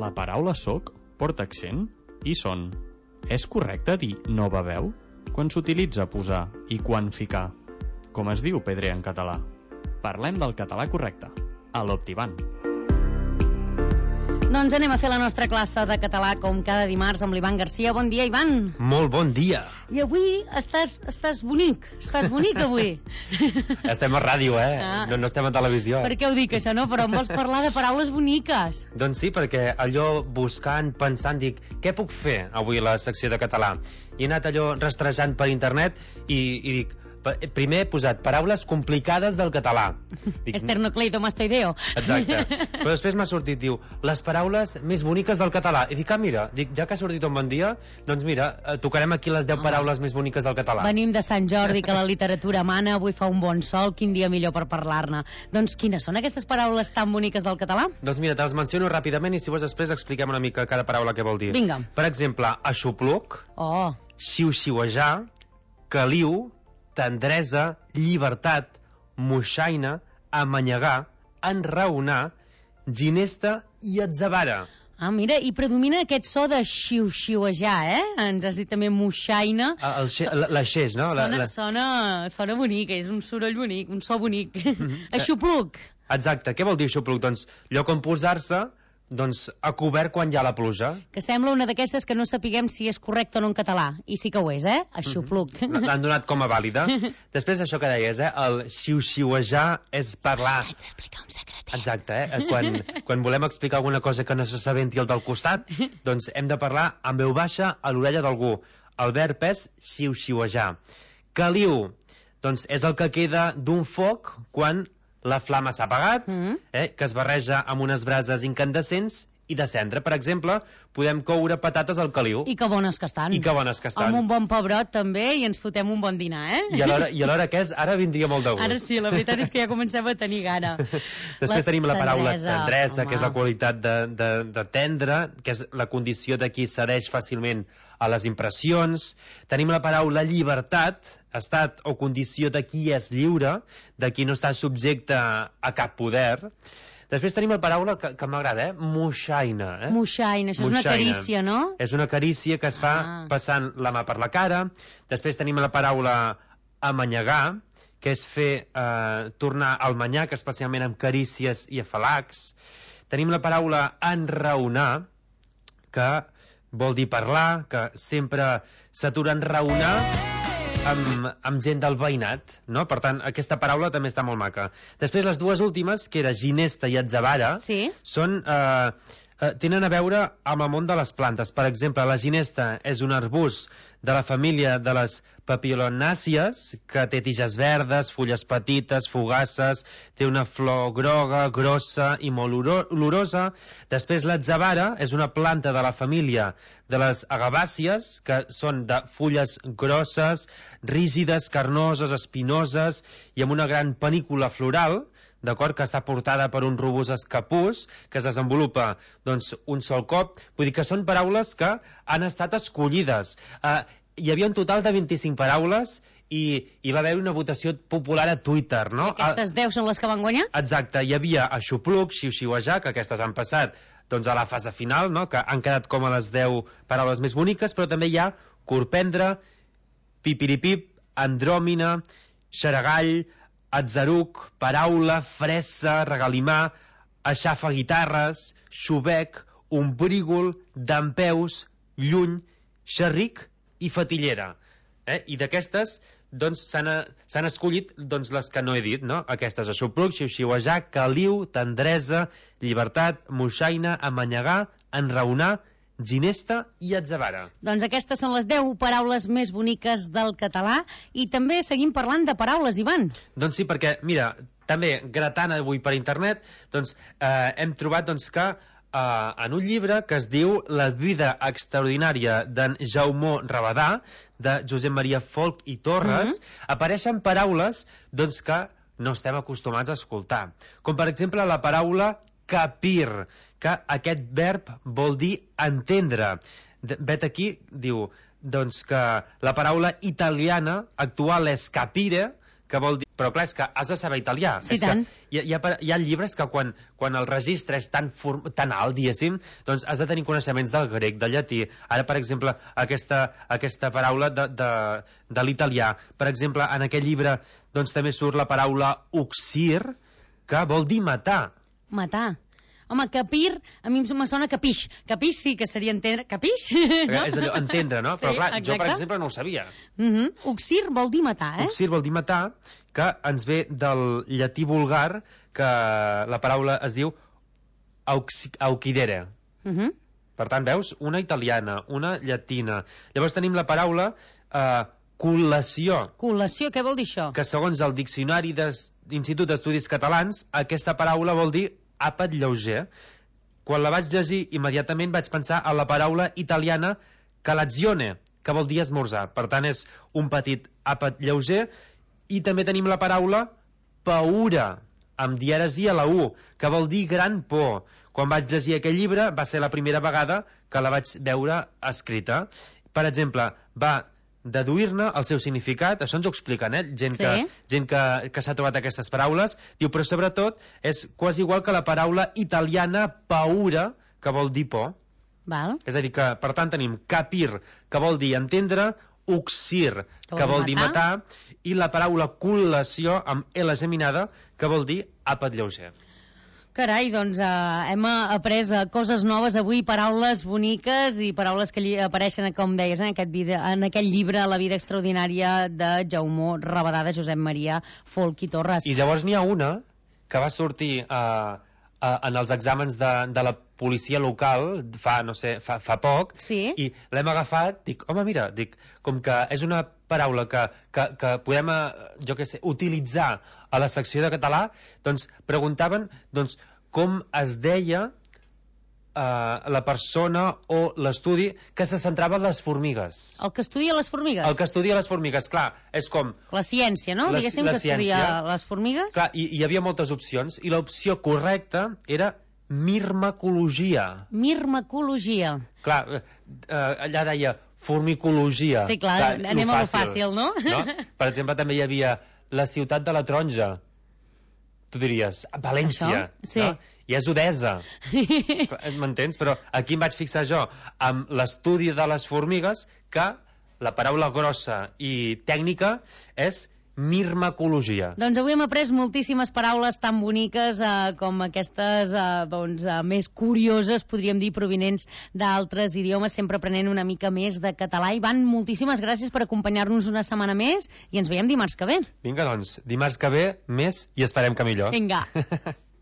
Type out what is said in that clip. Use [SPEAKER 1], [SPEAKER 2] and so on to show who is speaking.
[SPEAKER 1] La paraula soc porta accent i son. És correcte dir no beveu quan s'utilitza posar i quan ficar? Com es diu pedrer en català? Parlem del català correcte, a l'Optivan.
[SPEAKER 2] Doncs anem a fer la nostra classe de català com cada dimarts amb l'Ivan Garcia. Bon dia, Ivan.
[SPEAKER 3] Molt bon dia.
[SPEAKER 2] I avui estàs bonic. Estàs bonic avui.
[SPEAKER 3] Estem a ràdio, No estem a televisió.
[SPEAKER 2] Per què ho dic, això, no? Però em vols parlar de paraules boniques.
[SPEAKER 3] Doncs sí, perquè allò buscant, pensant, dic, què puc fer avui a la secció de català? I he anat allò rastrejant per internet i dic, primer he posat paraules complicades del català. Dic,
[SPEAKER 2] esternocleidomastoideo.
[SPEAKER 3] Exacte. Però després m'ha sortit, diu, les paraules més boniques del català. I dic, mira, ja que ha sortit un bon dia, doncs mira, tocarem aquí les 10 paraules més boniques del català.
[SPEAKER 2] Venim de Sant Jordi, que la literatura mana, avui fa un bon sol, quin dia millor per parlar-ne. Doncs quines són aquestes paraules tan boniques del català?
[SPEAKER 3] Doncs mira, te les menciono ràpidament i si vols després expliquem una mica cada paraula què vol dir.
[SPEAKER 2] Vinga.
[SPEAKER 3] Per exemple, aixopluc, xiu-xiuejar, caliu, tendresa, llibertat, moixaina, amanyegar, enraonar, ginesta i atzavara.
[SPEAKER 2] Mira, i predomina aquest so de xiu-xiuejar, Ens has dit també moixaina.
[SPEAKER 3] La xeix, no?
[SPEAKER 2] Sona bonic, és un soroll bonic, un so bonic. Aixopluc.
[SPEAKER 3] Exacte, què vol dir aixopluc? Doncs lloc on posar-se, doncs a cobert quan hi ha la pluja.
[SPEAKER 2] Que sembla una d'aquestes que no sapiguem si és correcte o no en català. I sí que ho és, Aixopluc.
[SPEAKER 3] L'han donat com a vàlida. Després això que deies, el xiu-xiuejar és parlar...
[SPEAKER 2] Haig d'explicar un secret.
[SPEAKER 3] Exacte, quan volem explicar alguna cosa que no se sabenti el del costat, doncs hem de parlar amb veu baixa a l'orella d'algú. El verb és xiu-xiuejar. Caliu, doncs és el que queda d'un foc quan la flama s'ha apagat, que es barreja amb unes brases incandescents i de cendra. Per exemple, podem coure patates al caliu.
[SPEAKER 2] I que bones que estan. Amb un bon pebrot també i ens fotem un bon dinar,
[SPEAKER 3] I alhora què és? Ara vindria molt de gust.
[SPEAKER 2] Ara sí, la veritat és que ja comencem a tenir gana.
[SPEAKER 3] Després tenim la paraula tendresa, que és la qualitat de tendre, que és la condició de qui cedeix fàcilment a les impressions. Tenim la paraula llibertat, estat o condició de qui és lliure, de qui no està subjecte a cap poder. Després tenim la paraula que m'agrada, moixaina.
[SPEAKER 2] Moixaina, això és una carícia, no?
[SPEAKER 3] És una carícia que es fa passant la mà per la cara. Després tenim la paraula amanyegar, que és fer tornar al manyac, especialment amb carícies i afalacs. Tenim la paraula enraonar, que vol dir parlar, que sempre s'atura a enraonar amb gent del veïnat, no? Per tant, aquesta paraula també està molt maca. Després, les dues últimes, que era ginesta i atzavara, són... tenen a veure amb el món de les plantes. Per exemple, la ginesta és un arbust de la família de les papilionàcies, que té tiges verdes, fulles petites, fugaces, té una flor groga, grossa i molt olorosa. Després, l'atzavara és una planta de la família de les agabàcies, que són de fulles grosses, rígides, carnoses, espinoses i amb una gran panícula floral, d'acord, que està portada per un robust escapús que es desenvolupa doncs, un sol cop. Vull dir que són paraules que han estat escollides. Hi havia un total de 25 paraules i va haver una votació popular a Twitter, no?
[SPEAKER 2] I aquestes 10 són les que van guanyar?
[SPEAKER 3] Exacte, hi havia aixopluc, xiu-xiuejar, que aquestes han passat doncs, a la fase final, no? Que han quedat com a les 10 paraules més boniques, però també hi ha corprendre, pipiripip, andròmina, xaragall, atzaruc, paraula, fressa, regalimar, aixafa guitarres, xubec, ombrígol, dempeus, lluny, xerric i fatillera. I d'aquestes doncs, s'han escollit doncs, les que no he dit, no? Aquestes: aixopluc, xiu-xiuejar, caliu, tendresa, llibertat, moixaina, amanyegar, enraonar, ginesta i atzavara.
[SPEAKER 2] Doncs aquestes són les 10 paraules més boniques del català i també seguim parlant de paraules, Ivan.
[SPEAKER 3] Doncs sí, perquè, mira, també gratant avui per internet, doncs hem trobat doncs, que en un llibre que es diu La vida extraordinària d'en Jaume Rabadà, de Josep Maria Folch i Torres, apareixen paraules doncs, que no estem acostumats a escoltar. Com per exemple la paraula capir, que aquest verb vol dir entendre. Vet aquí, diu, doncs que la paraula italiana actual és capire, que vol dir... Però clar, és que has de saber italià.
[SPEAKER 2] Sí,
[SPEAKER 3] és
[SPEAKER 2] tant.
[SPEAKER 3] que hi ha llibres que quan el registre és tan alt, diguéssim, doncs has de tenir coneixements del grec, del llatí. Ara, per exemple, aquesta paraula de l'italià. Per exemple, en aquest llibre doncs també surt la paraula uxir, que vol dir matar.
[SPEAKER 2] Matar. Home, capir, a mi me sona capix. Capix sí que seria entendre. Capix? No?
[SPEAKER 3] És allò, entendre, no?
[SPEAKER 2] Sí,
[SPEAKER 3] però clar,
[SPEAKER 2] exacte.
[SPEAKER 3] jo, per exemple, no ho sabia.
[SPEAKER 2] Uxir vol dir matar, eh?
[SPEAKER 3] Uxir vol dir matar, que ens ve del llatí vulgar, que la paraula es diu auquidere. Per tant, veus? Una italiana, una llatina. Llavors tenim la paraula col·lació.
[SPEAKER 2] Col·lació, què vol dir això?
[SPEAKER 3] Que segons el Diccionari d'Institut d'Estudis Catalans, aquesta paraula vol dir àpat lleuger. Quan la vaig llegir, immediatament vaig pensar en la paraula italiana colazione, que vol dir esmorzar. Per tant, és un petit àpat lleuger. I també tenim la paraula paura, amb dièresi a la U, que vol dir gran por. Quan vaig llegir aquest llibre, va ser la primera vegada que la vaig veure escrita. Per exemple, va deduir-ne el seu significat, això ens ho expliquen, gent que s'ha trobat aquestes paraules, diu, però sobretot és quasi igual que la paraula italiana paura, que vol dir por.
[SPEAKER 2] Val.
[SPEAKER 3] És a dir, que per tant tenim capir, que vol dir entendre, uxir, que vol dir matar, i la paraula col·lació, amb L geminada, que vol dir àpat lleuger.
[SPEAKER 2] Carai, doncs hem après coses noves avui, paraules boniques i paraules que apareixen, com deies, en aquest llibre La vida extraordinària de Jaume Rabadà, de Josep Maria Folch i Torres.
[SPEAKER 3] I llavors n'hi ha una que va sortir en els exàmens de la policia local fa poc, i l'hem agafat, dic, home, mira, com que és una paraula que podem, jo què sé, utilitzar a la secció de català, doncs preguntaven com es deia la persona o l'estudi que se centrava en les formigues.
[SPEAKER 2] El que estudia les formigues?
[SPEAKER 3] El que estudia les formigues, clar, és com...
[SPEAKER 2] La ciència, no? Diguéssim que estudia les formigues.
[SPEAKER 3] Clar, i hi havia moltes opcions, i l'opció correcta era mirmacologia.
[SPEAKER 2] Mirmacologia.
[SPEAKER 3] Clar, allà deia formicologia.
[SPEAKER 2] Sí, clar, anem a lo fàcil, no?
[SPEAKER 3] Per exemple, també hi havia la ciutat de la taronja. Tu diries, València.
[SPEAKER 2] Sí.
[SPEAKER 3] I és Odessa. M'entens? Però aquí em vaig fixar jo amb l'estudi de les formigues, que la paraula grossa i tècnica és mirmacologia.
[SPEAKER 2] Doncs avui hem après moltíssimes paraules tan boniques com aquestes més curioses, podríem dir, provinents d'altres idiomes, sempre aprenent una mica més de català. Ivan, moltíssimes gràcies per acompanyar-nos una setmana més i ens veiem dimarts que ve.
[SPEAKER 3] Vinga, doncs, dimarts que ve més i esperem que millor.
[SPEAKER 2] Vinga.